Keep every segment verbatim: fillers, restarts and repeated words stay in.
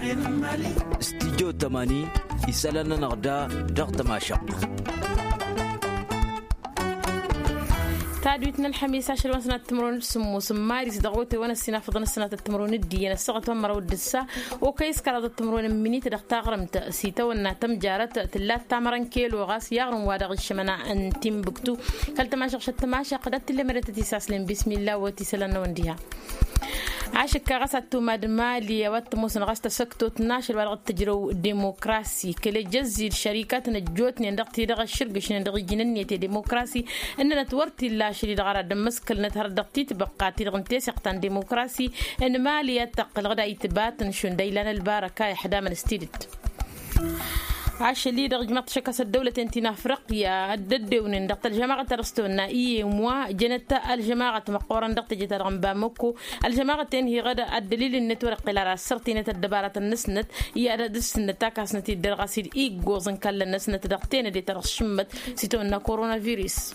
Studyo tămani isălan-nănăɣ da dăɣ-tămašăɣt. Tadwit n-ălxămis ašăl wa n-sănat timron d-sǝmmos n-maris dăɣ-wăte wa n-ăssinafăḍăn ăssinat timron d-iyyăn ăssaɣăt wa n-măraw d-ǝssa. Okăy s-kăraḍăt timron n-minit dăɣ-taɣrǝmt s-itawănna tămjarăt tǝllat tamărăn kelo ɣas i-aɣrǝm wa dăɣ-iššămăna n-timbuktu. Kăl-tămašăɣ šăt tămašăɣ d-ad-tǝllem eretăt isaslen bismilla wăt isălan-năwăn diha. Ašǝkka ɣas ad-tumad mali a-wa t-ămoosăn ɣas tasăktot n-ašăl wa dăɣ-t-tǝjrăw demokrasi kăl-ejăzzi d-šărikatăn ăjjootnen dăɣ-ti-dăɣ ăššǝrgǝšnen dăɣ-iji n-ǝnniyăt i-demokrasi. Ǝnnănăt wăr t-illa ašăl-i-dăɣ ara dd-ămmăskălnăt hărăt dăɣ-titbăqqa ti-dăɣ n-teseɣt ta n-demokrasi n-mali ad-tăqqǝlăɣ d-ayǝtbatăn šund a ilan ălbarăka ixdamăn s-tidǝt. Ašăl-i-dăɣ ǝjmăɣ-t šăkk a-s ăddăwlăten ti n-afriqya dd-ăddewnen dăɣ-tălžămaɣăt ta dăɣ-s tăwănna i-emwa jănăt ălžămaɣăt măqqoorăn dăɣ-teje-ta-dăɣ n-bamăkko. Ălžămaɣăt-en hiɣăd ăddălil-net wăr-iqqel ara ăssărtinăt ăddăbaratăn-năsnăt i-ad-dd-ǝssǝnnăt takasnăt-dd dăr-ɣas-dd iggoẓ n-kallăn-năsnăt dăɣ-tenăde ta dăɣ-s šǝmmăt s-itawănna koronavirus.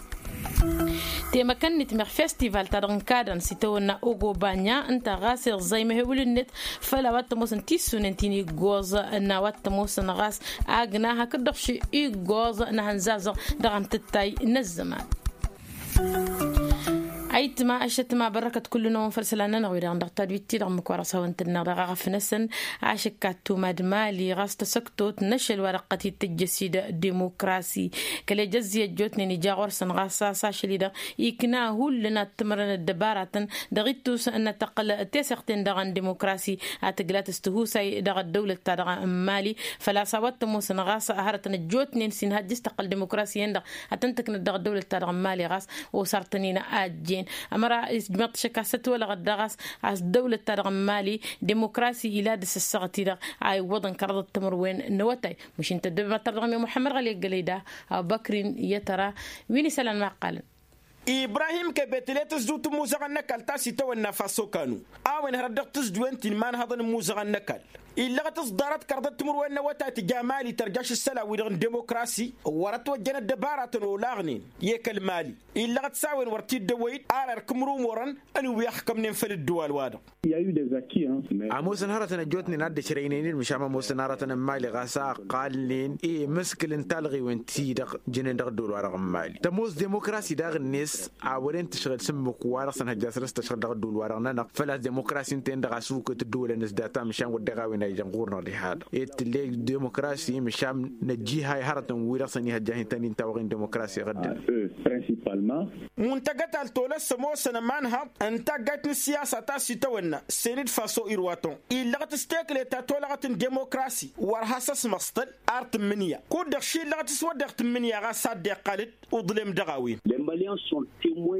Temăkăn-net meɣ festival ta dăɣ-n kadăn s-itawănna ogobanya ǝnta ɣas iẓẓay măhewǝl-net. Făll-a-wa t-ămoosăn tissunen ti n-iggoẓ n-a-wa t-ămoosăn ɣas agna hakd-dăɣ ši iggoẓ n-ahănzazăɣ dăɣ-amtǝttay n-ăzzăman. Ayǝtma ăššătma bărrăkăt kullu-năwăn făll-isălan-nănăɣ wi-dăɣ dăɣ-tadwit-ti-dăɣ ǝmmǝk wa dăɣ-s hawăn-tǝnneɣ dăɣ-aɣăf-năsăn. Ašǝkka ăttumad mali ɣas tasăktot n-ašăl wa dăɣ-tăt-dd-tǝjjăs-dd demokrasi kăl-ejăzzi ăjjootnen ija ɣur-săn ɣas a-s ašăl-i-dăɣ ikna hullan ad-t-ǝmrăn ăddăbaratăn dăɣ-ittus n-ad-tăqqǝl teseɣt-en-dăɣ n-demokrasi ad-tǝglat s-tihusay dăɣ-ăddăwlăt-ta-dăɣ n-mali. Făl-a-s a-wa t-ămoosăn ɣas hărătăn ăjjootnen s-inhăjj s-tăqqǝl demokrasi-en-dăɣ ad-tăn-tǝknăt dăɣ-ăddăwlăt-ta-dăɣ n-mali ɣas osartăn-in a ăjjeen. Ămăra ijmăḍ-t šăkk a-s ătwălăɣăt daɣ a-s ăddăwlăt-ta-dăɣ n-mali demokrasi ila d-asǝssăɣăt-i-dăɣ a iwwăḍăn kăraḍăt timǝrwen n-awătay. Măšin tăddobem ad-tărdăɣăm i-muḥămmăd ɣali ăggălăy da abubăkrin i-ad-tăra wi n-isălan ma ǝqqalăn. Ibrahim kebetele tǝzzuwt n-imuzăɣăn n-ăkall ta s-itawănna faso kanu a-wen hărăt dăɣ-tǝzduwen ti n-imanhăḍăn n-imuzăɣăn n-ăkall illăɣăt s-ḍarăt kărḍăt timǝrwen n-awătay tǝja mali tărjaš ǝssălan-wi-dăɣ n-demokrasi. Wăr-ătwăjjăn ăddăbaratăn olaɣnen i-kăl-mali illăɣăt s-a-wen wăr t-dd-ăwwăy-dd ar ărk imrumurăn. Ănwi ăxkămnen făll-ǝddǝwal-wa-dăɣ. Ămoosăn hărătăn ăjjootnen ad-dd-ăšrăynen-dd măšan ămoosăn hărătăn n-mali ɣas a ăqqalnen i-imǝskǝl n-talɣiwen-ti-dăɣ jănen dăɣ-ăddol-wa-dăɣ n-mali tămoos demokrasi daɣ-net. A wăren tǝšɣǝl s-ǝmmǝk wa-dăɣ săn hăjja săr-s tăšɣǝl dăɣ-ăddol-wa-dăɣ-nănăɣ făl-a-s demokrasi ǝnta-en-dăɣ a-s ukǝt ǝddǝwǝlăn s-data măšan wăr deɣ a-wen a ižăn ɣur-năɣ diha-dăɣ. Ed tǝlle demokrasi măšan năjjihăy hărătăn-wi-dăɣ săn ihăjja hin-tăn-in tawăɣen demokrasi ɣǝddǝn. Muntăgăt altolăs ămoosăn ămanhăḍ n-taggayt n-ǝssiyasa ta s-itawănna săyăn-dd faso irwaton illăɣăt s-tekle ta tolăɣăt n-demokrasi wăr has-ăsmăṣtăl. Ar tǝmmǝnǝya kud-dăɣ šillăɣăt s-wăr dăɣ-tǝmmǝnǝya ɣas a dd-iqqal-dd uḍlem dăɣ-a-wen.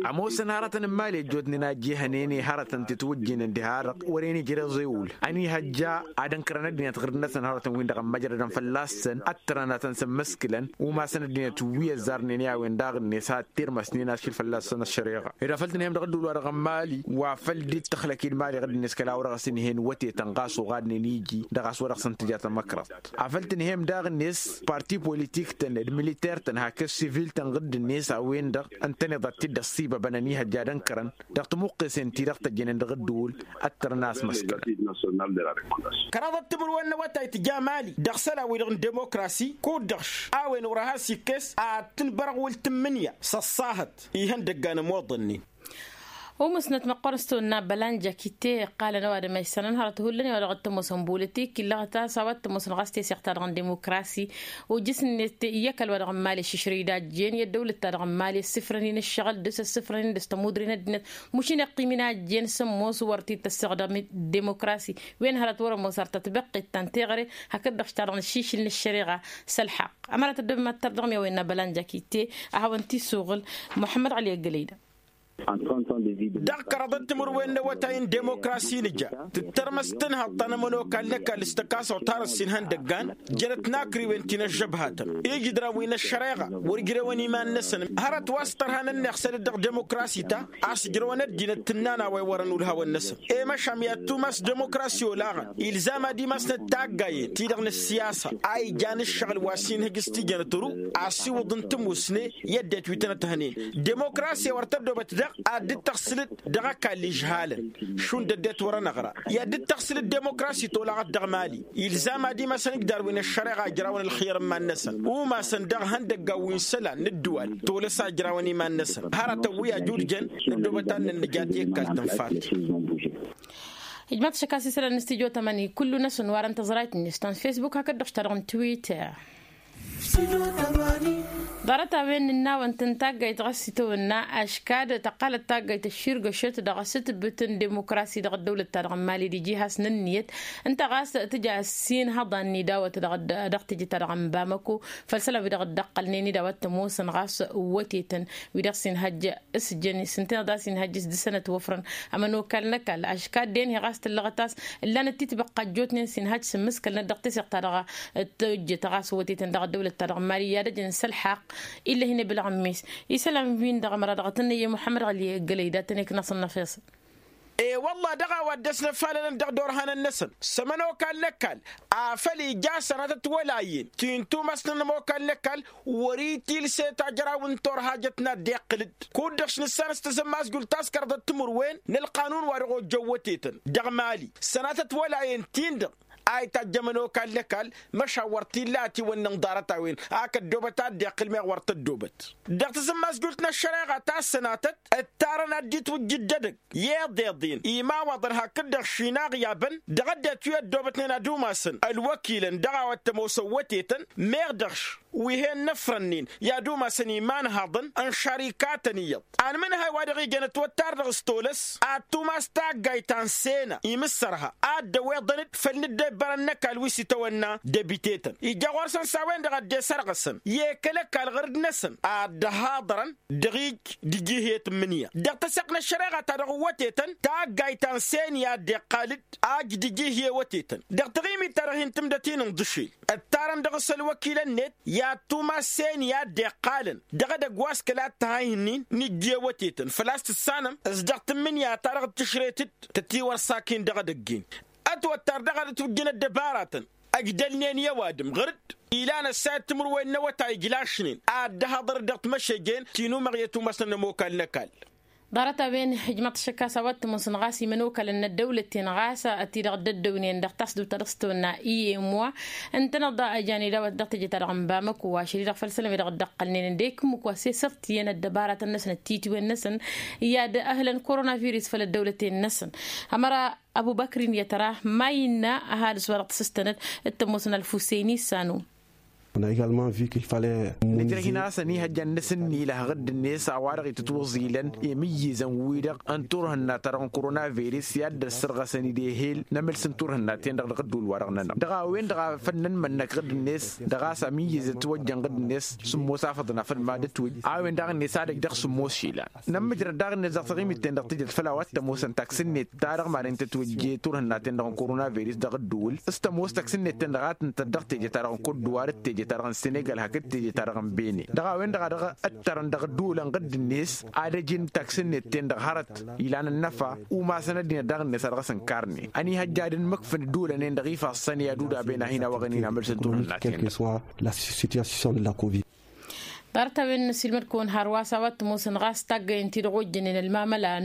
Ămoosăn hărătăn n-imali ăjjootnen a ăjjehănen i-hărătăn tǝtwǝjjǝynen diha-dăɣ wăren ijreẓ ewǝl ănihăjja ad-ǝnkărăn ăddinăt ɣǝrǝd-năsăn hărătăn-win-dăɣ ămmăjrădăn fălla-săn. Ăttărăn ad-tăn-sǝmmǝskǝlăn umasăn ăddinăt wi ăzzarnen i-a-wen daɣ-net a ăttirmăsnen ašil fălla-săn ăššăreɣa. Ed afăl tǝnhăyăm dăɣ-ădduul-wa-dăɣ n-mali wa făl dd-tăxlăk-dd mali ɣǝd-net kăla wăr-ɣas ǝnhăyăn wătetăn ɣas oɣadnen iji dăɣ-a-s wăr-dăɣ săn tǝja tamăkraḍt. Afăl tǝnhăyăm daɣ-net parti politik-tăn d-militer-tăn hakd sivil-tăn ɣǝd-net a-wen-dăɣ ǝntăneḍ ad-t-dd-ăṣṣibăbăn ănihăjja ad-ǝnkărăn dăɣ-timuqqesen-ti-dăɣ tăjjănen dăɣ-ădduul. Ăttărăn a ăsmăskălăn. Kăraḍăt timǝrwen n-awătay tǝja mali dăɣ-isălan-wi-dăɣ n-demokrasi kud-dăɣ a-wen wăr-has ikkes ad-tǝnbărăɣ wăl tǝmmǝnǝya s-ăṣṣahăt ihăndăggan ămoḍănnen. Umǝsnăt măqqoorăn s-tawănna bălanjak itte iqqalăn ăwadǝm a isănăn hărăt hullan i-wa dăɣ-t-ămoosăn bolitik illăɣăt a-s a-wa t-ămoosăn ɣas teseɣt-ta-dăɣ n-demokrasi. Ojǝs-net i-ăkall wa dăɣ-n mali ăššǝšrăy d-ajjen i-ăddăwlăt-ta-dăɣ n-mali ăssifrăn-in ǝššăɣǝl dăɣ-s ăssifrăn-in dăɣ-s tămudre n-ăddinăt măšin iqqim-in ajjen s-ămoos wăr t-dd-tăsseɣdăm demokrasi. Wen hărăt wăr-ămoos ar tătbăqqet ta n-teɣăre hakd-dăɣ ta-dăɣ n-ašišǝl n-ăššăreɣa s-ălxaqq. Ămăra tăddobem ad-tărdăɣăm i-a-wen n-abălanjak itte a hawăn-t-isuɣǝl muḥămmăd ɣali ăggălăy da. Dăɣ-kăraḍăt timǝrwen n-awătay n-demokrasi nǝja tǝttărmăs tǝnhăḍt ta n-ămănokal n-ăkall s-tăkasăɣt har ăssin ihăndăggan. Jănăt n-akriwen ti n-ăžžăbhatăn ijǝdran wi n-ăššăreɣa wăr-ǝjrewăn iman-năsăn hărăt wa s-tărha n-ănneɣ săl-dd dăɣ-demokrasi ta a-s ǝjrăwăn ăddinăt tǝnnan a-wa iwărăn ulhawăn-năsăn. I-măšan i-ad-tumas demokrasi olaɣăn ilzam ad-imasnăt taggayen-ti-dăɣ n-ăssiyasa a ijan ǝššăɣǝl wa s-inhǝj s-tijănăt ăru asiwǝḍ n-tǝmusne i-ăddinăt wi tăn-ăthănen. Demokrasi wăr tăddobăt dăɣ Ad-dd-tăɣsǝlăd dăɣ-ăkall ižhalăn šund ăddinăt wăr-ănăɣra i-ad-dd-tăɣsǝlăd demokrasi tolaɣăt dăɣ-mali. Ilzam ad-imasăn ǝjdarwen ăššăreɣa ǝjrawăn ălxir n-iman-năsăn umasăn dăɣ-ihăndăggan wi n-isălan n-ǝddǝwal tolăs a ǝjrawăn iman-năsăn hărătăn wi ajudjăn. Ăddoobăt ad-nǝnnǝja ti ăkall tǝnfalt. Ijmaḍ-t šăkkas isălan n-studyo tămani kullu-năsăn warăn tăẓrayt-net ta n-facebook hakd-dăɣ ta dăɣ-n twitter. Ḍarăt-a-wen n-innawăn-tăn taggayt ɣas itawănna aškad tăqqalăt taggayt ăšširgăšăt dăɣ-asǝtbǝt n-demokrasi dăɣ-ăddăwlăt-ta-dăɣ n-mali d-iji has-nǝnniyăt ǝnta ɣas tǝja ăssiinhăḍan n-idawăt dăɣ-teje-ta-dăɣ n-bamăko. Făll-isălan wi-dăɣ dd-ăqqălnen idawăt tămoosăn ɣas wătetăn wi-dăɣ s-inhăjj s-jăn s-ǝnta-dăɣ a-s inhăjj s-dăr-săn ătwăfrăn. Ămănokal n-ăkall aškad d-enhi ɣas tǝllăɣăt a-s ǝllanăt titbăqqa ăjjootnen s-inhăjj s-ǝmmǝskălnăt dăɣ-teseɣt-ta-dăɣ tǝjjăt ɣas wătetăn dăɣ-ăddăwlăt-ta-dăɣ n-mali i-ad-ăjăn s-ălḥaqq. Ill'-e hin-eblăɣ n-mes isălan wi-dăɣ ămăra dăɣ-tăn-năyye muḥămmăd ɣăli gălăy datăn-e kănăsăn n-afeṣăn. E-wălla dăɣ-a-wa dd-ăsnăfalălăn dăɣ-dorhanăn-năsăn s-ămănokal n-ăkall afăl ija sănatăt wăla iyyăn ti n-tumasnăn ămokal n-ăkall wăr-itilse tajraw n-turhajăt n-ad-dd-iqqǝl-dd kud-dăɣ š-nǝssan s-tazămmazjult ta s-kăraḍăt timǝrwen n-ălqanun wa dăɣ-ojjăn wătetăn dăɣ-mali sănatăt wăla iyyăn-tin-dăɣ a itajj ămănokal n-ăkall. Măšan wăr t-illa ătiwănnăn ḍarăt-a-wen ak ăddoobăt a dd-iqqǝl meɣ wăr tăddoobăt dăɣ-tazǝmmazjult n-ăššăreɣa ta s-sănatăt ǝttarăn ad-dd-itwǝjjǝd d-edăgg i-iḍeḍen imawaḍăn hakd-dăɣ šinaɣ i-abăn dăɣ-ăddinăt wi ăddoobătnen ad-umasăn ălwăkilăn dăɣ-a-wa t-ămoosăn wătetăn meɣ dăɣ-š wi hen-năfrănnen i-ad-umasăn imanhaḍăn n-šărikatăn iyyăḍ. Anmǝnhăy wa dăɣ-ijăn ătwăttar dăɣ-s tolăs ad-tumas taggayt ta n-sena imǝssărha ad-dd-ăweḍăn-dd făll-inǝddebbărăn n-ăkall wi s-itawănna debitetăn ija ɣur-săn s-a-wen-dăɣ a dd-esărɣăsăn i-kăl-ăkall ɣǝrǝd-năsăn ad-dd-ăhaḍărăn dăɣ-ij d-iji hi-tǝmmǝnǝya dăɣ-tăseɣt n-ăššăreɣa ta dăɣ-wătetăn taggayt ta n-sena i-ad-dd-iqqal-dd ajj d-iji hi-wătetăn dăɣ-taɣimit ta dăɣ-hin-tǝmdăt-in n-iḍǝšel. Ǝttarăn dăɣ-s ălwăkilăn-net i-ad-tumas sena i-ad-dd-iqqalăn dăɣ-edăgg wa s-kăla t-tăhayhǝnnin n-ijje wătetăn făl-a-s tǝssanăm s-dăɣ-tǝmmǝnǝya ta dăɣ-tǝšret-dd tătiwărsaken dăɣ-edăgg-en. Ătwăttar dăɣ-ad-ătwǝjjăn ăddăbaratăn ăjdălnen i-ăwadǝm ɣǝr-dd ilan ăssayăt timǝrwen n-awătay ǝjlašnen ad-dd-ăhaḍăr-dd dăɣ-timăšejjen ti n-umăɣ i-atumasnăn n-ămokal n-ăkall. Ḍarăt-a-wen ijmăḍ-t šăkkas a-wa t-ămoosăn ɣas imănokalăn n-ăddăwlăten ɣas ătidăɣ dd-ăddăwnen dăɣ-tasdut ta dăɣ-s tăwănna i-emwa ǝntăneḍ a ăjan idawăt dăɣ-teje-ta-dăɣ n-bamăko ašăl-i-dăɣ făll-isălan wi-dăɣ dd-ăqqălnen ăndek ǝmmǝk wa s-e-sărt iyyăn ăddăbaratăn-năsăn d-titwen-năsăn i-ad-ăhlăn korona virus făll-ăddăwlăten-năsăn. Ămăra ăbubăkrin i-ad-tăra ma innă ăhalǝs wa dăɣ-t-sǝstănăt d-tămoosăn ălfuseyni s-anu. Nǝjrăh-in a-s ănihăjja n-inǝsǝnnilăh ɣǝdd-net a-wa-dăɣ itǝtwăẓilăn i-imǝyyǝzăn-wi-dăɣ n-turhǝnna-ta-dăɣ n-korona virus i-ad-dd-ăssărɣăsăn-dd ehel n-amǝls n-turhǝnna-ten-dăɣ dăɣ-ădduul-wa-dăɣ-nănăɣ dăɣ-a-wen-dăɣ a făl nǝnmănnăk ɣǝdd-net dăɣ-a-s amiyyǝz ătwăjjăn ɣǝdd-net sǝmmos afăḍăn afăl mad-ătwǝj a-wen daɣ-net ad-ăj dăɣ-sǝmmos išilan. Nămmǝjrăd daɣ-net dăɣ-taɣimit-ten-dăɣ tǝjăt făll-a-wa t-ămoosăn taksǝnnet ta dăɣ-madăn tătwǝjje turhǝnna-ten-dăɣ n-korona virus dăɣ-ǝddǝwǝl s-tămoos taksǝnnet-ten-dăɣ a tǝntăt dăɣ-teje-ta-dăɣ n-kodduwar d-teje-ta-dăɣ n-senegal hakd teje-ta-dăɣ n-bene dăɣ-a-wen-dăɣ a dăɣ-ǝttărăn dăɣ-ǝddǝwǝlăn ɣǝdd-net ad-ăj n-taksǝnnet-ten-dăɣ hărăt ilan ănnăfa umasăn ăddinăt daɣ-net a dăɣ-s ǝnkarnen ănihăjja ad-ǝnmǝkfǝn ǝddǝwǝlăn-en-dăɣ ifassăn i-ad-udab-en a hin-awăɣăn-in amălsăn turhǝnna-ten-dăɣ. Ḍarăt-a-wen n-asilmăd-kăwăn hărwa s-a-wa t-ămoosăn ɣas taggăyăn ti-dăɣ ojjănen ălmamăla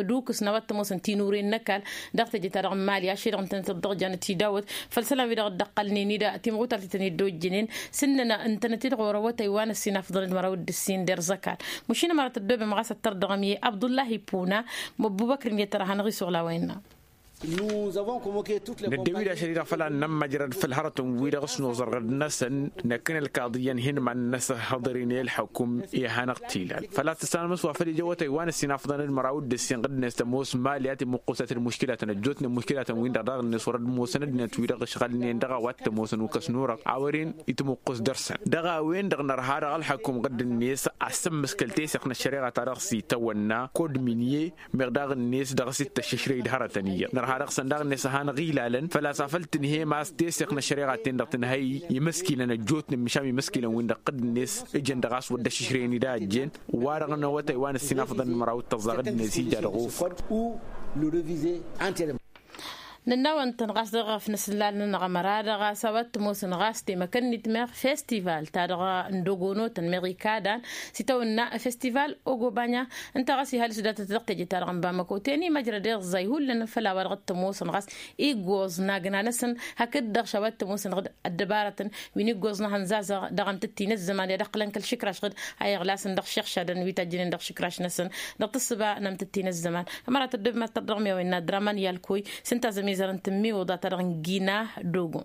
d-ukǝs n-a-wa t-ămoosăn tinuren n-ăkall dăɣ-teje-ta-dăɣ n-mali ašăl-i-dăɣ ǝntănăt-dd-dăɣ janăt-i dawăt făll-isălan-wi-dăɣ dd-ăqqălnen-dd timɣutar ti tăn-dd-ojjănen s-ǝnnăn ǝntănăt-dd ɣur-awătay wa n-ăssinafḍăn d-măraw d-ǝssin d-erzăkal. Măšin ămăra tăddoobem ɣas ăttăr dăɣ-mi abdullahi puna. Măbbubăkr-in i-ăttăr a hanăɣ-isuɣǝl a-wa innă. Năddewid ašăl-i-dăɣ făll-ad-nămmăjrăd făll-hărătăn-wi-dăɣ s-noẓăr ɣǝd-năsăn năkk n-ălkaḍi i-ănhǝnman n-asǝhhăḍăr-in i-ălḥăkum i-ad-hanăɣ-t-ilal făl-a-s tǝssanăm s-wa făll-ija awătay wa n-ăssinafḍăn d-măraw d-ǝssin ɣǝd-net tămoos mali a timǝqqusăt d-muškilatăn ăjjootnen muškilatăn-win-dăɣ daɣ-net wăr-ădmoosăn ăddinăt-wi-dăɣ ǝšɣălnen dăɣ-a-wa t-ămoosăn ukăs n-urăɣ a wăren itmǝqqus dăr-săn dăɣ-a-wen-dăɣ nărha dăɣ-ălḥăkum ɣǝdd-net ad-sǝmmǝskăl teseɣt n-ăššăreɣa ta dăɣ-s itawănna kod minye meɣ daɣ-net dăɣ-s ittăššǝšrăy d-hărătăn iyyăḍ nărha dăɣ-săn daɣ-net ad-hanăɣ-ilalăn făl-a-s afăl tǝnhăyăm a-s teseɣt n-ăššăreɣa-ten-dăɣ tǝnhăy imǝskilăn ăjjootnen măšan imǝskilăn-win-dăɣ ɣǝdd-net ǝjăn dăɣ-a-s wăr dd-ăššǝšrăyăn-dd a ăjjeen. Wa-dăɣ n-awătay wa n-ăssinafăḍăn n-măraw d-tăẓẓa ɣǝdd-net ija dăɣ-of. Nănnawăn-tăn ɣas dăɣ-efnăsǝllalăn n-aɣămăra dăɣ-a-s a-wa t-ămoosăn ɣas temăkăn n-itmeɣ festival ta dăɣ-nădogonotăn meɣ ikadan s-itawănna festival ogobanya. Ǝnta ɣas ihalǝs datăt dăɣ-teje-ta-dăɣ n-bamăko teni măjrăd iẓẓay hullan făll-a-wa dăɣ-t-ămoosăn ɣas iggoẓ n-agna-năsăn hakd-dăɣ š-a-wa t-ămoosăn ɣǝd ăddăbarătăn wi n-iggoẓ n-ehăn zazăɣ dăɣ-amtǝtti n-ăzzăman i-ad-ǝqqǝlăn kăl-išǝkraš ɣǝd a iɣlasăn dăɣ-išǝxšadăn wi tajjănen dăɣ-išǝkraš-năsăn dăɣ-tǝssǝba n-amtǝtti n-ăzzăman. Ămăra tăddobem ad-tărdăɣ mi-a-wen n-ad-dăr-aman i-alkoy s-ǝnta a-s ămizărăn tǝmmiwǝḍa ta dăɣ-n gina dogo.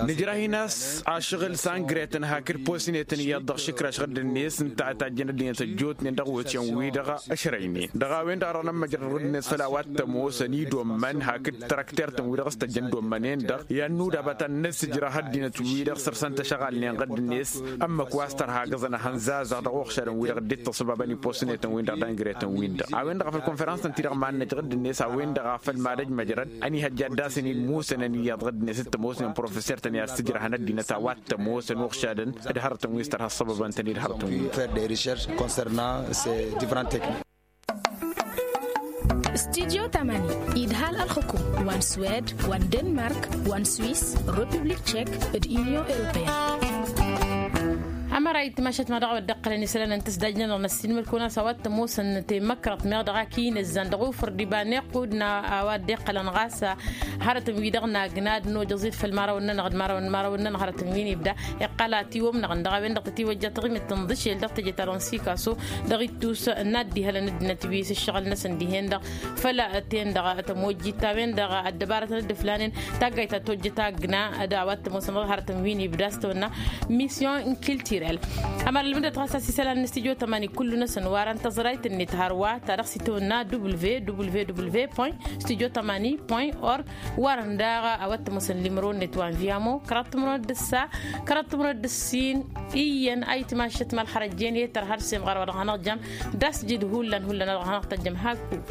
Nǝjrah-in a-s ašăɣǝl s-angretăn hakd posnetăn iyyăḍ dăɣ-išǝkraš ɣǝddǝnet ǝnta a tajjăn ăddinăt ăjjootnen dăɣ-iwǝtyan-wi-dăɣ ăšrăynen dăɣ-a-wen-dăɣ a dăɣ-nămmăjrăd ɣǝddǝnet făll-a-wa t-ămoosăn idommăn hakd tărăktertăn-wi-dăɣ s-tăjjăn idommăn-en-dăɣ i-ad-nudabăt ad-năssǝjrăh ăddinăt-wi-dăɣ săr-săn tăšăɣalnen ɣǝddǝnet ămmăk wa s-tărha agǝẓăn ehăn zazăɣ dăɣ-uɣšadăn-wi-dăɣ dd-ittăṣăbabăn i-posnetăn-win-dăɣ d-angretăn-win-dăɣ a-wen-dăɣ a făl konferans-tăn-ti-dăɣ mad-năj ɣǝddǝnet a-wen-dăɣ a făl mad-ăj măjrăd ănihăjja ad-dd-asăn-dd musănăn iyyăḍ ɣǝddǝnet d-tămoosnen professer-tăn i-ad-sǝjrăhăn ăddinăt a-wa t-ămoosăn uɣšadăn d-hărătăn wi s-tărha ăṣṣăbăbăn-tăn-dd hărătăn-wi. Fer de recherche concernant ces différentes techniques. Studyo tamani idhal ălxǝkum wa n-swed wa n-denmark wa n-swiss republic tchek d-union européenne. Ămăra itmašăt ma dăɣ-a wăr dd-iqqălăn isălan n-tǝsdajnăn dăɣ-năssinmăl-kăwăn a-s a-wa t-ămoosăn temăkrăḍt meɣ dăɣ-ak inǝzzan dăɣ-ufǝr d-iba n-iqqud n-a-wa dd-iqqălăn ɣas hărătăn-wi-dăɣ n-agna d-nojăẓ-dd făll-imărawăn-nănăɣ d-imărawăn n-imărawăn-nănăɣ hărătăn-wi n-ibda iqqăl atiwămnăɣ-n dăɣ-a-wen-dăɣ tătiwăjja taɣimit n-iḍǝšel dăɣ-teje-ta-dăɣ n-sikaso dăɣ-ittus n-ad-dd-ihălăn ăddinăt wi s-ǝššăɣǝl-năsăn dihen-dăɣ făll-ten-dăɣ tămojjit ta-wen-dăɣ ăddăbarătăn dd-ǝflanen taggayt ta tojjăt agna d-a-wa t-ămoosăn dăɣ-hărătăn wi n-ibda s-tăwănna mission culturel. Ămăra ălmǝdăt ɣas a-s isălan n-studyo tămani kullu-năsăn warăn tăẓrayt-net hărwa ta dăɣ-s itawănna www point studyo tămani point org. Warăn daɣ a-wa t-ămoosăn limro-net wa n-viamo kăraḍ timǝrwen d-ǝssa kăraḍ timǝrwen d-ǝssin. Iyyăn a itmašăt ma ălxărăjjen i-tărha d-semɣar wa dăɣ-hanăɣ-jăm d-asjǝd hullan hullan a dăɣ-hanăɣ-tăjjăm hakk-uk.